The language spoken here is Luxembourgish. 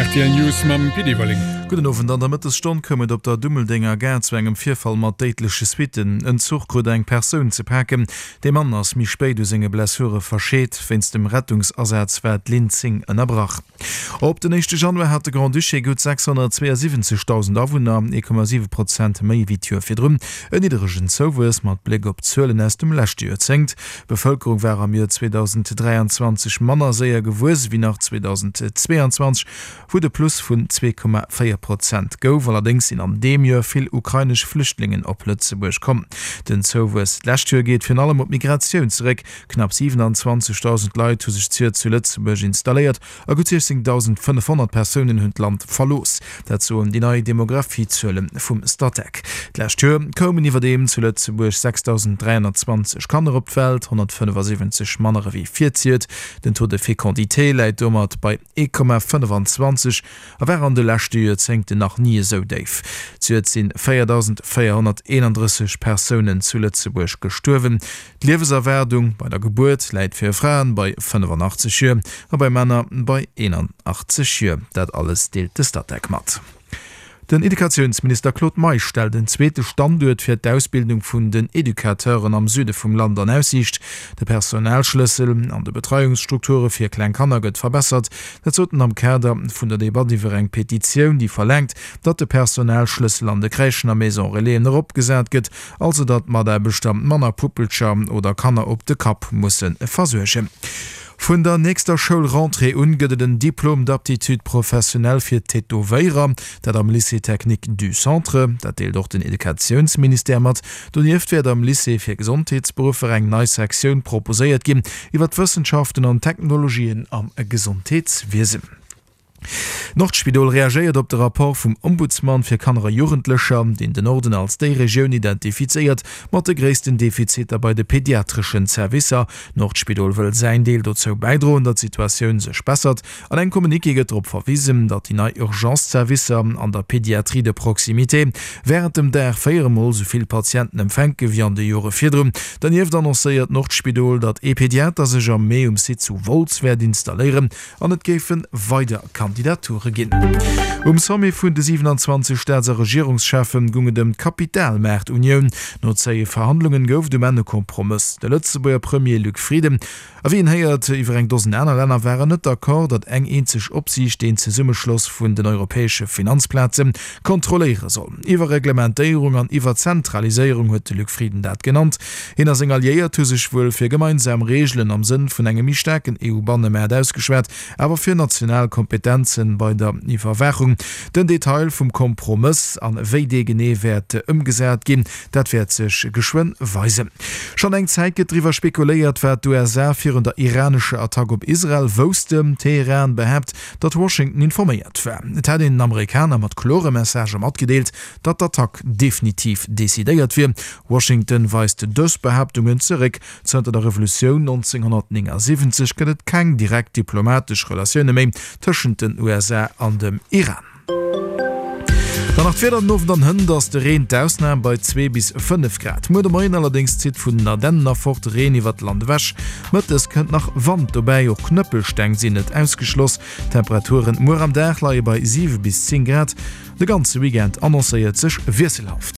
Rtl News mam Pit Everling. Gudden Owend. An der Mëttesstonn koum et op der Dummeldenger Gare zu engem Virfall mat déidleche Suitten. En Zuch krut eng Persoun ze paken. De Mann ass méi spéit u senge Blessure verscheet. Wéinst dem Rettungsasaz war d'Linn 10 ënnerbrach. Op den éischte Januar hat de Grand-Duché gutt 672.000 Awunner, 1,7 Prozent méi ewéi d'Joer virdrun. En nidderegen Zouwuess mat Bléck op d'Zuelen aus dem leschte Joerzéngt. D'Bevëlkerung war am Joer 2023 manner séier gewuess ewéi nach 2022, wou et e Plus vun 2,4 Prozent gouf. Allerdéngs sinn an deem Joer vill ukrainesch Flüchtlingen op Lëtzebuerg komm. Den Zouwuess d'lescht Joer geet virun allem op d'Migratioun zeréck. Knapp 27.000 Leit hu sech d'Joer zu Lëtzebuerg installéiert a gutt 16.500 Persounen hunn d'Land verlooss. Dat soen déi nei Demografie-Zuele vum Statec. D'lescht Joer koumen iwwerdeem zu Lëtzebuerg 6.320 Kanner op d'Welt, 175 manner ewéi virziert. Den Taux de fécondité läit domat bei 1,25 a war an de leschte Joerzéngten nach ni esou déif. Zejoert si 4.431 Persounen zu Lëtzebuerg gestuerwen. D'Liewenserwaardung bei der Gebuert läit fir Fraen bei 85 Joer a bei Männer bei 81 Joer. Dat alles deelt de Statec mat. Den Educatiounsminister Claude Meisch stellt en zweete Standuert fir d'Ausbildung vun den Educateuren am Süde vum Land an Aussiicht. De Personalschlëssel an de Betreiungsstrukture fir kleng Kanner gëtt verbessert. Dat sot en am Kader vun der Debatt iwwer eng Petitioun, déi verlaangt, datt de Personalschlëssel an de Crèchen a Maison Relaisen eropgesat gëtt. Also datt d'Mataarbechter manner Puppelcher oder Kanner op de Kapp musse versuergen. Vun der nächster Schoulrentrée un gëtt et en Diplôme d'aptitude professionnelle fir Tätowéierer, dat am Lycée technique du Centre. Dat deelt och den Educatiounsministère mat. Donieft wäert am Lycée fir Gesondheetsberuffer eng nei Sektioun proposéiert ginn iwwer d'Wëssenschaften an d'Technologien am Gesondheetswiesen. D'Nordspidol reagéiert op de Rapport vum Ombudsman fir Kanner a Jugendlecher, deen den Norden als déi Regioun identifizéiert mat de gréissten Defiziter bei de pediatreschen Servicer. D'Nordspidol wëll säin Deel dozou bäidroen, datt d'Situatioun sech bessert. An engem Communiqué gëtt drop verwisen, datt déi nei Urgence-Servicer an der Pédiatrie de proximité wärend dem Dag 4 Mol esou vill Patienten empfänke wéi an de Jore virdrun. Dernieft annoncéiert d'Nordspidol, datt ee Pediater sech am Mee um Site zu Wolz wäert installéieren. An et géife weider Kandidature ginn. Um Sommet vun de 27 Staats a Regierungscheffe goung et ëm d'Kapitalmaartunioun. No zéie Verhandlungen gouf et um Enn e Kompromëss. De Lëtzebuerger Premier Luc Frieden a wéi een héiert iwwer eng Dosen aner Länner waren net d'accord, datt eng eenzeg Opsiicht deen Zesummeschloss vun den europäesche Finanzplaze kontrolléiere soll. Iwwerreglementéierung an Iwwerzentraliséierung huet de Luc Frieden dat genannt. Hien a seng Alliéiert hu sech wuel fir gemeinsam Reegelen am Sënn vun engem méi staarken EU-Bannemaart ausgeschwat, awer fir national Kompetenzen bei der Iwwerwaachung. Den Detail vum Kompromëss an wéi dee genee wäert ëmgesat ginn, dat wäert sech geschwënn weisen. Schonn eng Zäit gëtt driwwer spekuléiert, wat d'USA virun der iranescher Attack op Israel woussten. Teheran behaapt, datt Washington informéiert war. Et hätt een den Amerikaner mat klore Messagë matgedeelt, datt d'Attack definitiv decidéiert wier. Washington weist dës Behaaptungen zeréck. Zënter der Revolutioun 1979 gëtt et keng direkt diplomatesch Relatioune méi tëschent den USA an dem Iran. Dann nach d'Wieder, Den Owend an hënt ass de Reen d'Ausnam bei 2 bis 5 Grad. Muer de Moien allerdéngs zitt vun den Ardennen erfort Reen iwwert d'Land ewech. Mëttes kënnt nach Wand dobäi, och Knëppelsteng sinn net ausgeschloss. D'Temperaturen muer am Dag leie bei 7 bis 10 Grad. De ganze Weekend annoncéiert sech wiesselhaft.